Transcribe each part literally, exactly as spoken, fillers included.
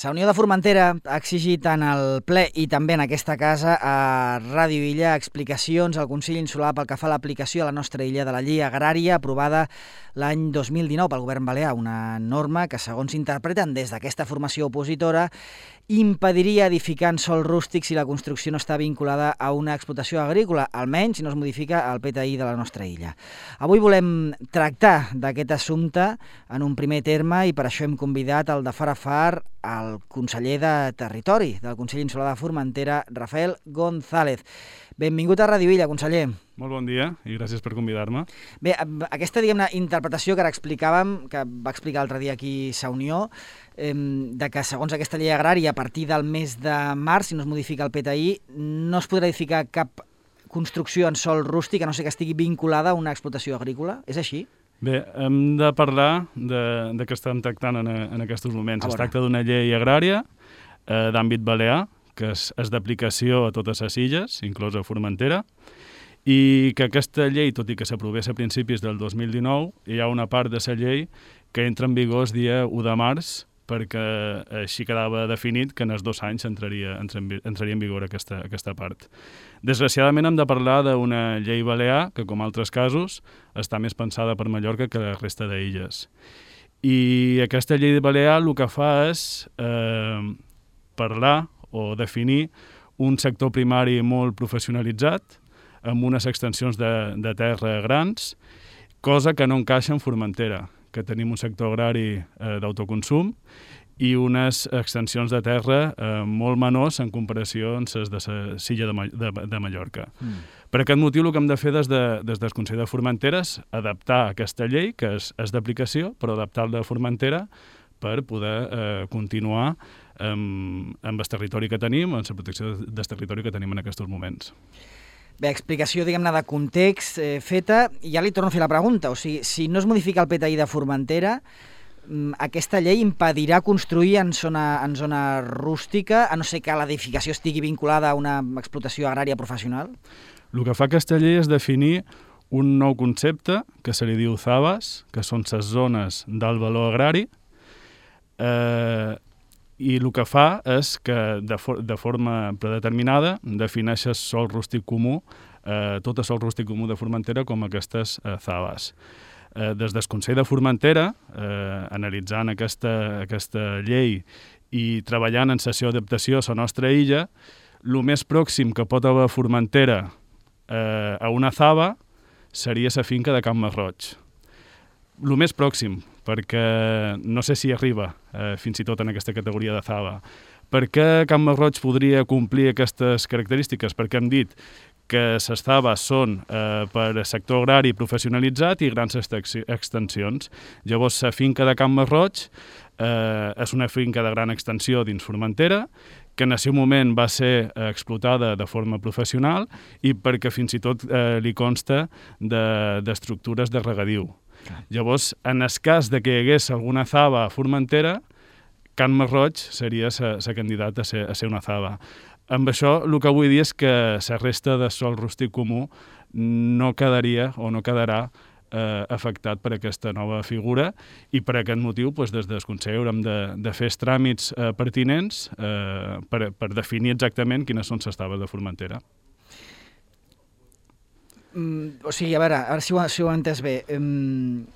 La Unió de Formentera ha exigit en el ple i també en aquesta casa a Ràdio Illa explicacions al Consell Insular pel que fa a l'aplicació a la nostra illa de la llei agrària aprovada l'any dos mil dinou pel govern balear, una norma que, segons s'interpreten des d'aquesta formació opositora, impediria edificar en sòl rústic si la construcció no està vinculada a una explotació agrícola, almenys si no es modifica el P T I de la nostra illa. Avui volem tractar d'aquest assumpte en un primer terme i per això hem convidat el de far a far el conseller de Territori del Consell Insular de Formentera, Rafael González. Benvingut a Ràdio Illa, conseller. Molt bon dia i gràcies per convidar-me. Bé, aquesta, diguem-ne, interpretació que ara explicàvem, que va explicar l'altre dia aquí Sa Unió, eh, de que segons aquesta llei agrària, a partir del mes de març, si no es modifica el P T I, no es podrà edificar cap construcció en sòl rústic, a no ser que estigui vinculada a una explotació agrícola. És així? Bé, hem de parlar de, de què estem tractant en, en aquests moments. Es tracta d'una llei agrària eh, d'àmbit balear, que és, és d'aplicació a totes les illes, inclosa Formentera, i que aquesta llei, tot i que s'aprovés a principis del dos mil dinou, hi ha una part de la llei que entra en vigor el dia u de març, perquè així quedava definit que en els dos anys entraria, entraria en vigor aquesta, aquesta part. Desgraciadament hem de parlar d'una llei balear que, com altres casos, està més pensada per Mallorca que la resta d'illes. I aquesta llei balear el que fa és eh, parlar o definir un sector primari molt professionalitzat, amb unes extensions de, de terra grans, cosa que no encaixa en Formentera, que tenim un sector agrari eh, d'autoconsum i unes extensions de terra eh, molt menors en comparació amb les de la Silla de, de, de Mallorca. Mm. Per aquest motiu el que hem de fer des, de, des del Consell de Formentera és adaptar aquesta llei, que és, és d'aplicació, però adaptar-la a Formentera per poder eh, continuar amb, amb el territori que tenim, amb la protecció del territori que tenim en aquests moments. Bé, explicació, diguem-ne, de context eh, feta, i ja li torno a fer la pregunta. O sigui, si no es modifica el P T I de Formentera, aquesta llei impedirà construir en zona, en zona rústica, a no ser que l'edificació estigui vinculada a una explotació agrària professional? El que fa aquesta llei és definir un nou concepte que se li diu ZABAs, que són les zones d'alt valor agrari, eh, i el que fa és que de, for de forma predeterminada defineix el sòl rústic comú, eh, tot el sòl rústic comú de Formentera com aquestes eh, ZABAs. Eh, des del Consell de Formentera, eh, analitzant aquesta, aquesta llei i treballant en sessió d'adaptació a la nostra illa, el més pròxim que pot haver Formentera eh, a una ZABA seria la finca de Can Masroig. El més pròxim, perquè no sé si arriba eh, fins i tot en aquesta categoria de ZABA. Per què Can Masroig podria complir aquestes característiques? Perquè hem dit que les ZABAs són eh, per sector agrari professionalitzat i grans extensions. Llavors, la finca de Can Masroig eh, és una finca de gran extensió dins Formentera, que en el seu moment va ser eh, explotada de forma professional i perquè fins i tot eh, li consta d'estructures de, de regadiu. Llavors, en el cas de que hi hagués alguna ZABA a Formentera, Can Masroig seria la candidata a ser, a ser una ZABA. Amb això, el que vull dir és que la resta de sòl rústic comú no quedaria o no quedarà eh, afectat per aquesta nova figura i per aquest motiu, doncs, des del Consell haurem de, de fer els tràmits eh, pertinents eh, per, per definir exactament quines són les ZABAs de Formentera. Mm, o sigui, a veure, a veure si ho, si ho he entès bé. Um,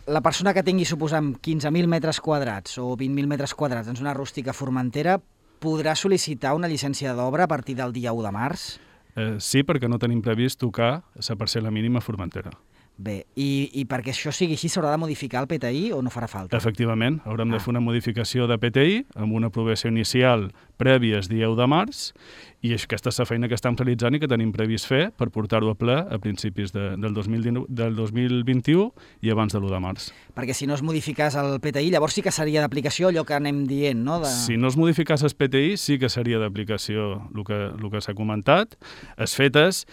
la persona que tingui, suposem, quinze mil metres quadrats o vint mil metres quadrats en zona rústica a Formentera podrà sol·licitar una llicència d'obra a partir del dia u de març? Eh, sí, perquè no tenim previst tocar la parcel·la mínima a Formentera. Bé, i, i perquè això sigui així s'haurà de modificar el P T I o no farà falta? Efectivament, haurem ah. de fer una modificació de P T I amb una aprovació inicial prèvia el dia u de març i aquesta és la feina que estem realitzant i que tenim previst fer per portar-ho a ple a principis de, del, dos mil dinou, del dos mil vint-i-u i abans de l'u de març. Perquè si no es modificàs el P T I, llavors sí que seria d'aplicació allò que anem dient, no? De... Si no es modificàs el P T I, sí que seria d'aplicació el que, el que s'ha comentat. Es fetes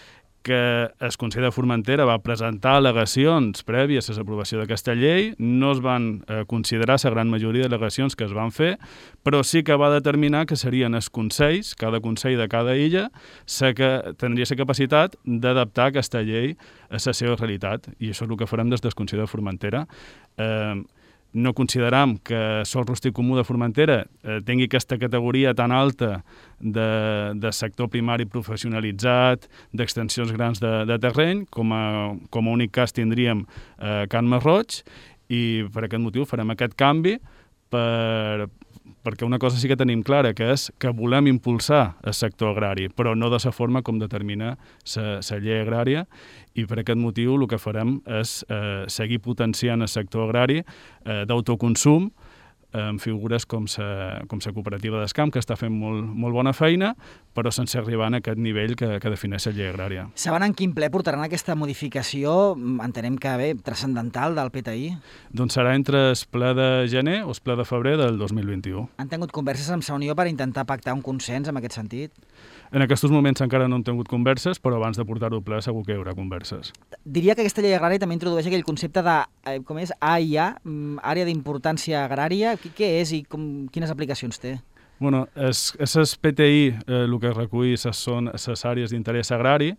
que el Consell de Formentera va presentar al·legacions prèvies a l'aprovació d'aquesta llei, no es van eh, considerar la gran majoria d'al·legacions que es van fer, però sí que va determinar que serien els consells, cada consell de cada illa, que tindria la capacitat d'adaptar aquesta llei a la seva realitat, i això és el que farem des del Consell de Formentera. Eh, no consideram que sòl rústic comú de Formentera eh, tingui aquesta categoria tan alta de, de sector primari professionalitzat, d'extensions grans de, de terreny, com a, com a únic cas tindríem eh, Can Masroig, i per aquest motiu farem aquest canvi per, perquè una cosa sí que tenim clara, que és que volem impulsar el sector agrari, però no de la forma com determina la llei agrària, i per aquest motiu el que farem és eh, seguir potenciant el sector agrari eh, d'autoconsum, amb figures com la com la cooperativa d'Escamp, que està fent molt, molt bona feina, però sense arribar a aquest nivell que, que defineix la llei agrària. Saben en quin ple portaran aquesta modificació, entenem que bé, transcendental del P T I? Doncs serà entre el ple de gener o el ple de febrer del dos mil vint-i-u. Han tingut converses amb la Unió per intentar pactar un consens en aquest sentit? En aquests moments encara no hem tingut converses, però abans de portar-ho al ple segur que hi haurà converses. Diria que aquesta llei agrària també introdueix aquell concepte de, eh, com és, A I A, àrea d'importància agrària. Què és i com, quines aplicacions té? Bueno, és, és el P T I eh, el que recull són les àrees d'interès agrari,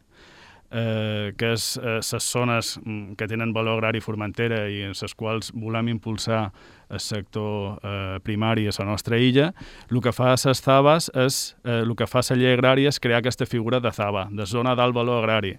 eh, que és les eh, zones que tenen valor agrari Formentera i en les quals volem impulsar el sector eh, primari a la nostra illa. El que fa a les Z A B As és, eh, el que fa la llei agrària és crear aquesta figura de Z A B A, de zona d'alt valor agrari.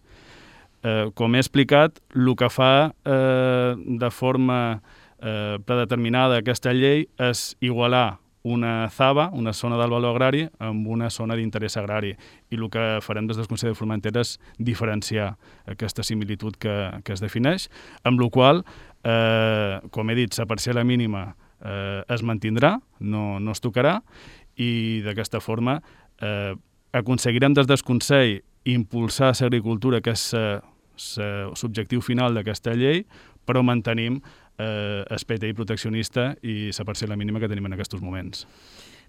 Eh, com he explicat, el que fa eh, de forma eh, predeterminada aquesta llei és igualar una Z A B A, una zona d'alt valor agrari, amb una zona d'interès agrari. I el que farem des del Consell de Formentera és diferenciar aquesta similitud que, que es defineix, amb la qual, eh, com he dit, la parcel·la mínima eh, es mantindrà, no, no es tocarà, i d'aquesta forma eh, aconseguirem des del Consell impulsar l'agricultura, que és l'objectiu final d'aquesta llei, però mantenim eh, el P T I proteccionista i la parcel·la mínima que tenim en aquests moments.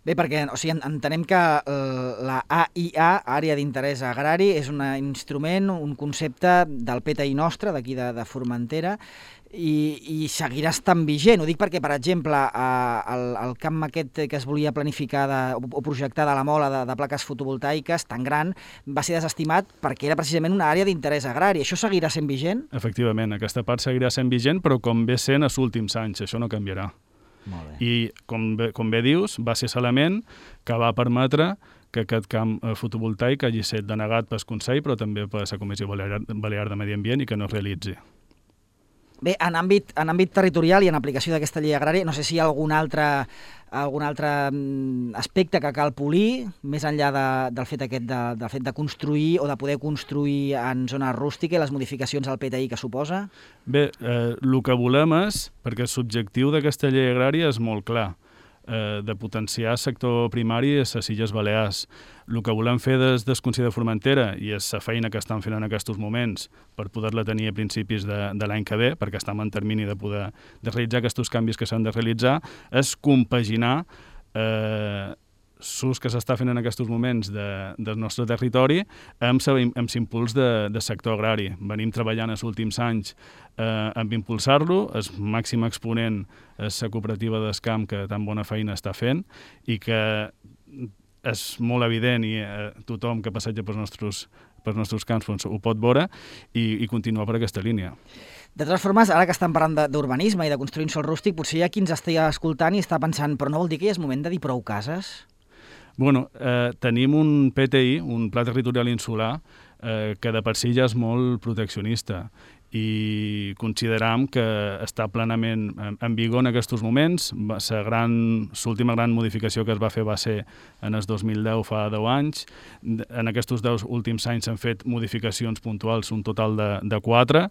Bé, perquè o sigui, entenem que eh, la A I A, Àrea d'Interès Agrari, és un instrument, un concepte del P T I nostre, d'aquí de, de Formentera, i, i seguirà estant vigent. Ho dic perquè, per exemple, eh, el, el camp aquest que es volia planificar de, o, o projectar de la Mola de, de plaques fotovoltaiques tan gran va ser desestimat perquè era precisament una àrea d'interès agrari. Això seguirà sent vigent? Efectivament, aquesta part seguirà sent vigent, però com ve sent els últims anys, això no canviarà. Molt bé. I, com bé, com bé dius, va ser l'element que va permetre que aquest camp fotovoltaic hagi estat denegat pel Consell, però també per la Comissió Balear, Balear de Medi Ambient, i que no es realitzi. Bé, en àmbit, en àmbit territorial i en aplicació d'aquesta llei agrària, no sé si hi ha algun altre, algun altre aspecte que cal polir, més enllà de, del, fet aquest de, del fet de construir o de poder construir en zones rústiques i les modificacions al P T I que suposa? Bé, eh, el que volem és, perquè l'objectiu d'aquesta llei agrària és molt clar, eh, de potenciar el sector primari a les Illes Balears. El que volem fer des del Consell de Formentera, i és la feina que estan fent en aquests moments per poder-la tenir a principis de, de l'any que ve, perquè estem en termini de poder de realitzar aquests canvis que s'han de realitzar, és compaginar eh, l'ús que s'està fent en aquests moments de, del nostre territori amb l'impuls de, de sector agrari. Venim treballant els últims anys eh, amb impulsar-lo, el màxim exponent és la cooperativa d'Escamp, que tan bona feina està fent, i que és molt evident, i eh, tothom que passeja pels nostres, pels nostres camps doncs, ho pot veure, i, i continuar per aquesta línia. De totes formes, ara que estan parlant d'urbanisme i de construir un sòl rústic, potser hi ha qui ens estigui escoltant i està pensant, però no vol dir que ja és moment de dir prou cases? Bueno, eh, tenim un P T I, un Pla Territorial Insular, eh, que de per si ja és molt proteccionista, i consideram que està plenament en vigor en aquests moments. L'última gran modificació que es va fer va ser en el dos mil deu, fa deu anys. En aquests deu últims anys s'han fet modificacions puntuals, un total de, de quatre.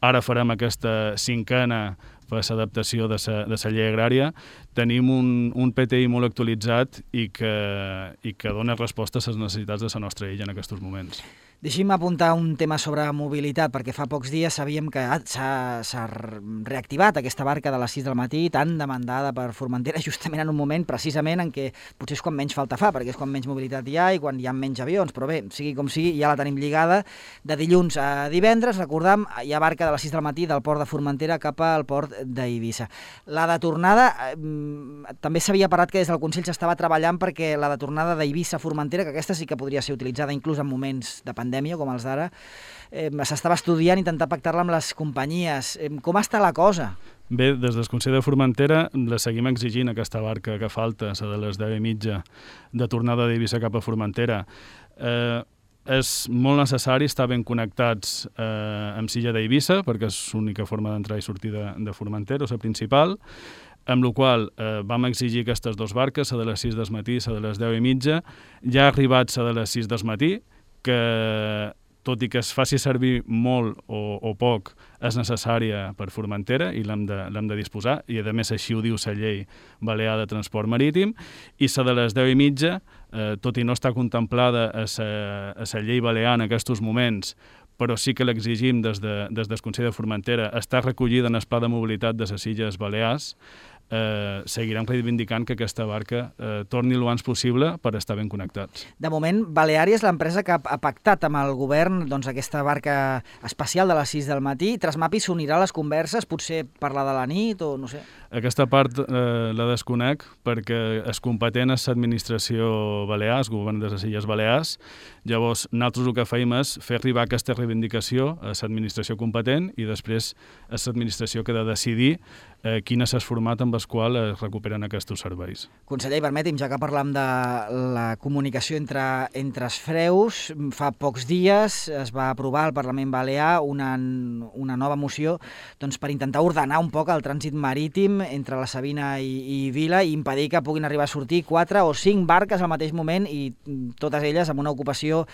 Ara farem aquesta cinquena per l'adaptació de la llei agrària. Tenim un, un P T I molt actualitzat i que, i que dona resposta a les necessitats de la nostra illa en aquests moments. Deixi'm apuntar un tema sobre mobilitat, perquè fa pocs dies sabíem que s'ha reactivat aquesta barca de les sis del matí, tan demandada per Formentera, justament en un moment precisament en què potser és quan menys falta fa, perquè és quan menys mobilitat hi ha i quan hi ha menys avions, però bé, sigui com sigui, ja la tenim lligada. De dilluns a divendres, recordam, hi ha barca de les sis del matí del port de Formentera cap al port d'Eivissa. La de tornada, també s'havia parlat que des del Consell s'estava treballant perquè la de tornada d'Eivissa a Formentera, que aquesta sí que podria ser utilitzada inclús en moments de pandèmia, com els d'ara, eh, s'estava estudiant, intentar pactar-la amb les companyies. Eh, com està la cosa? Bé, des del Consell de Formentera la seguim exigint aquesta barca que falta, la de les deu i mitja, de tornada d'Eivissa cap a Formentera. Eh, és molt necessari estar ben connectats eh, amb Silla d'Eivissa, perquè és l'única forma d'entrar i sortir de, de Formentera, o la principal, amb la qual eh, vam exigir aquestes dues barques, la de les sis del matí i la de les deu i mitja. Ja ha arribat la de les sis del matí, que tot i que es faci servir molt o, o poc, és necessària per Formentera i l'hem de, l'hem de disposar, i a més així ho diu la llei balear de transport marítim, i la de les deu i mitja, eh, tot i no està contemplada a la llei balear en aquests moments, però sí que l'exigim des, de, des del Consell de Formentera, està recollida en el Pla de Mobilitat de les Illes Balears, eh, seguirem reivindicant que aquesta barca eh, torni el abans possible per estar ben connectats. De moment, Baleària és l'empresa que ha pactat amb el govern doncs, aquesta barca especial de les sis del matí. Trasmapi s'unirà a les converses, potser parlar de la nit o no sé. Aquesta part eh, la desconec perquè és competent és l'administració balear, el govern de les Illes Balears. Llavors, nosaltres el que feim és fer arribar aquesta reivindicació a l'administració competent i després és l'administració que ha de decidir eh, quin és el format amb el qual es recuperen aquests serveis. Conseller, permeti'm, ja que parlam de la comunicació entre, entre els freus, fa pocs dies es va aprovar al Parlament Balear una, una nova moció doncs, per intentar ordenar un poc el trànsit marítim entre la Sabina i, i Vila i impedir que puguin arribar a sortir quatre o cinc barques al mateix moment i totes elles amb una ocupació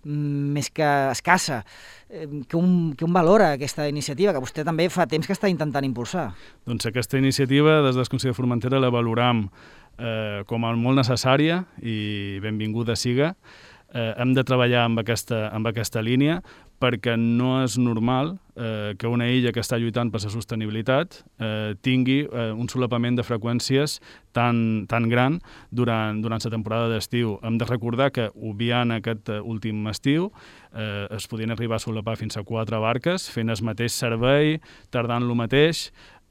més que escassa. Que un, que un valora aquesta iniciativa, que vostè també fa temps que està intentant impulsar. Doncs aquesta iniciativa, des del Consell de Formentera, la valoram eh, com a molt necessària i benvinguda siga. Eh, hem de treballar amb aquesta, amb aquesta línia perquè no és normal eh, que una illa que està lluitant per la sostenibilitat eh, tingui eh, un solapament de freqüències tan, tan gran durant, durant la temporada d'estiu. Hem de recordar que, obviant aquest últim estiu, eh, es podien arribar a solapar fins a quatre barques, fent el mateix servei, tardant lo mateix,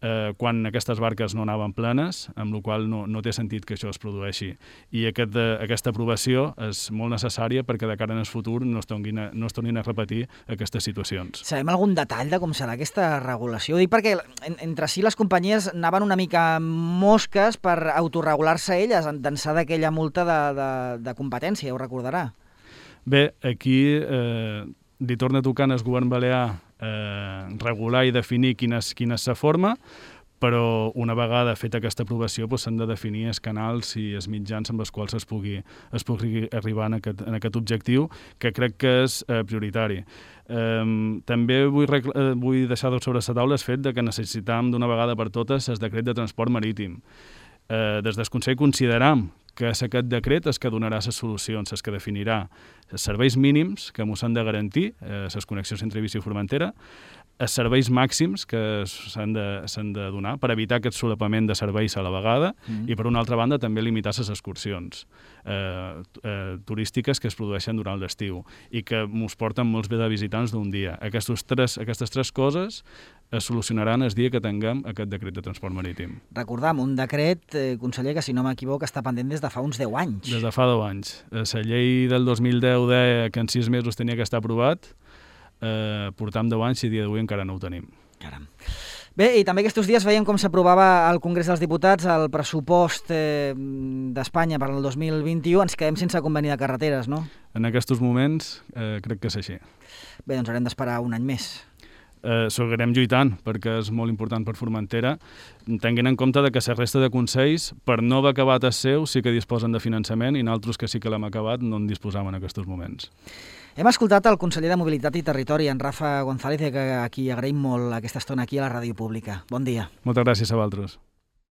eh, quan aquestes barques no anaven plenes, amb la qual no, no té sentit que això es produeixi. I aquest, eh, aquesta aprovació és molt necessària perquè de cara en el futur no es tornin a, no es tornin a repetir aquestes situacions. Sabem algun detall de com serà aquesta regulació? Ho dic perquè en, entre si les companyies anaven una mica mosques per autorregular-se elles d'ençà d'aquella multa de, de, de competència, ho recordarà. Bé, aquí eh, li torna a tocar al govern balear eh, regular i definir quina és, quina és la forma, però una vegada feta aquesta aprovació s'han de definir els canals i els mitjans amb els quals es pugui, es pugui arribar en aquest, en aquest objectiu, que crec que és eh, prioritari. Eh, també vull, eh, vull deixar sobre la taula el fet de que necessitam d'una vegada per totes el decret de transport marítim. Eh, des del Consell consideram que és aquest decret és que donarà les solucions, és que definirà els serveis mínims que ens han de garantir, eh, les connexions entre Eivissa i Formentera, els serveis màxims que s'han de, s'han de donar per evitar aquest solapament de serveis a la vegada mm. i, per una altra banda, també limitar les excursions eh, eh, turístiques que es produeixen durant l'estiu i que ens porten molts bé de visitants d'un dia. Aquestos tres, aquestes tres coses es solucionaran el dia que tinguem aquest decret de transport marítim. Recordam, un decret, eh, conseller, que si no m'equivoco està pendent des de fa uns deu anys. Des de fa deu anys. La llei del dos mil deu deia que en sis mesos tenia que estar aprovat. Eh, portam deu anys i a dia d'avui encara no ho tenim. Caram. Bé, i també aquests dies veiem com s'aprovava al Congrés dels Diputats el pressupost eh, d'Espanya per al dos mil vint-i-u. Ens quedem sense conveni de carreteres, no? En aquests moments eh, crec que és així. Bé, doncs haurem d'esperar un any més. Eh, seguirem lluitant perquè és molt important per Formentera, tenint en compte que la resta de consells, per no haver acabat el seu, sí que disposen de finançament i nosaltres que sí que l'hem acabat no en disposam en aquests moments. Hem escoltat el conseller de Mobilitat i Territori, en Rafa González, que aquí agraïm molt aquesta estona aquí a la Ràdio Pública. Bon dia. Moltes gràcies a vosaltres.